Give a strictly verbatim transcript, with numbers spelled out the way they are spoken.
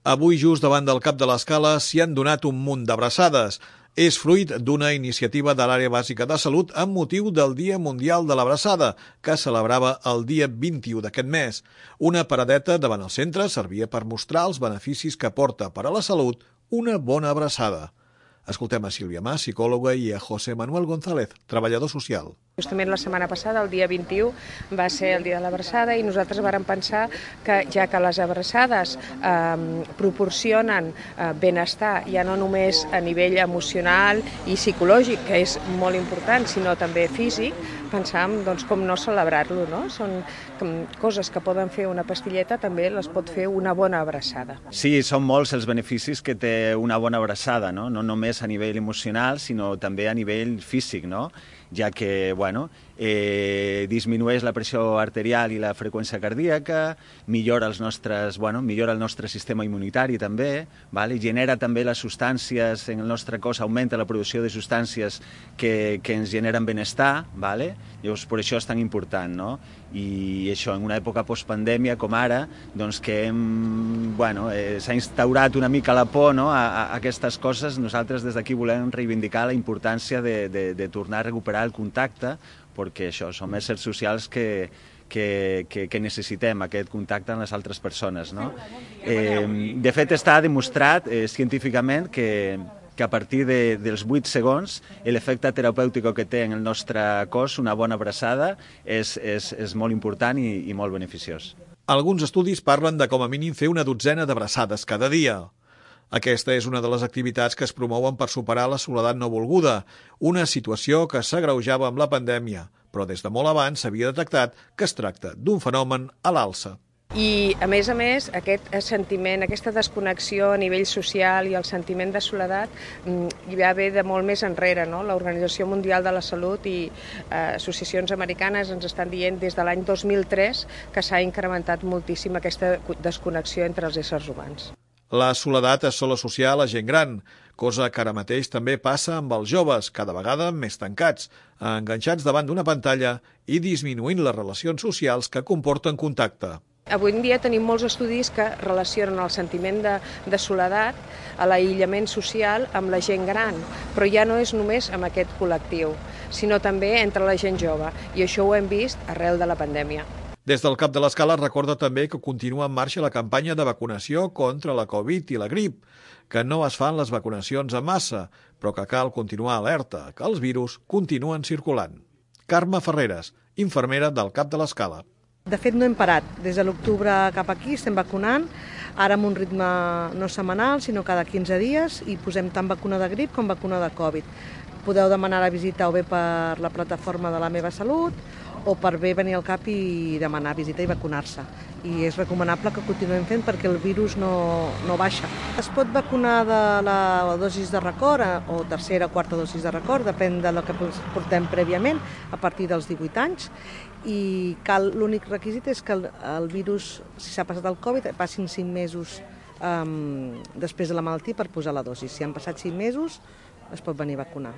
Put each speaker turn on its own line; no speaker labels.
Avui, just davant del Cap de l'Escala, s'hi han donat un munt d'abraçades. És fruit d'una iniciativa de l'Àrea Bàsica de Salut amb motiu del Dia Mundial de l'Abraçada, que celebrava el dia vint-i-u d'aquest mes. Una paradeta davant el centre servia per mostrar els beneficis que porta per a la salut una bona abraçada. Escoltem a Sílvia Mas, psicòloga, i a José Manuel González, treballador social.
Justament la setmana passada, el dia vint-i-u, va ser el dia de l'abraçada i nosaltres vàrem pensar que ja que les abraçades eh, proporcionen eh, benestar, ja no només a nivell emocional i psicològic, que és molt important, sinó també físic, pensàvem doncs, com no celebrar-lo, no? Són coses que poden fer una pastilleta, també les pot fer una bona abraçada.
Sí, són molts els beneficis que té una bona abraçada, no? No només a nivell emocional, sinó també a nivell físic, no? Ja que, bueno, eh, disminueix la pressió arterial i la freqüència cardíaca, millora els nostres, bueno, millora el nostre sistema immunitari també, vale? Genera també les substàncies en el nostre cos, augmenta la producció de substàncies que, que ens generen benestar, vale? Llavors per això és tan important, no? I això, en una època postpandèmia com ara, doncs que hem, bueno, eh, s'ha instaurat una mica la por, no? a, a aquestes coses, nosaltres des d'aquí volem reivindicar la importància de, de, de tornar a recuperar el contacte, perquè això, som éssers socials que, que, que, que necessitem aquest contacte amb les altres persones, no? Eh, de fet, està demostrat eh, científicament que, que a partir de, dels vuit segons l'efecte terapèutic que té en el nostre cos una bona abraçada és, és, és molt important i, i molt beneficiós.
Alguns estudis parlen de com a mínim fer una dotzena d'abraçades cada dia. Aquesta és una de les activitats que es promouen per superar la soledat no volguda, una situació que s'agreujava amb la pandèmia, però des de molt abans s'havia detectat que es tracta d'un fenomen a l'alça.
I, a més a més, aquest sentiment, aquesta desconnexió a nivell social i el sentiment de soledat ja ve de molt més enrere, no? L'Organització Mundial de la Salut i eh, associacions americanes ens estan dient des de l'any dos mil tres que s'ha incrementat moltíssim aquesta desconnexió entre els éssers humans.
La soledat es sol associar a la gent gran, cosa que ara mateix també passa amb els joves, cada vegada més tancats, enganxats davant d'una pantalla i disminuint les relacions socials que comporten contacte.
Avui en dia tenim molts estudis que relacionen el sentiment de, de soledat, a l'aïllament social, amb la gent gran, però ja no és només amb aquest col·lectiu, sinó també entre la gent jove, i això ho hem vist arrel de la pandèmia.
Des del Cap de l'Escala recorda també que continua en marxa la campanya de vacunació contra la Covid i la grip, que no es fan les vacunacions en massa, però que cal continuar alerta, que els virus continuen circulant. Carme Ferreres, infermera del Cap de l'Escala.
De fet, no hem parat. Des de l'octubre cap aquí estem vacunant, ara amb un ritme no setmanal, sinó cada quinze dies, i posem tant vacuna de grip com vacuna de Covid. Podeu demanar la visita o bé per la plataforma de La Meva Salut o per bé venir al CAP i demanar visita i vacunar-se. I és recomanable que continuem fent perquè el virus no, no baixa. Es pot vacunar de la dosis de record o tercera o quarta dosis de record, depèn del que portem prèviament, a partir dels divuit anys, i cal, l'únic requisit és que el, el virus, si s'ha passat el Covid, passin cinc mesos um, després de la malaltia per posar la dosi. Si han passat cinc mesos, es pot venir a vacunar.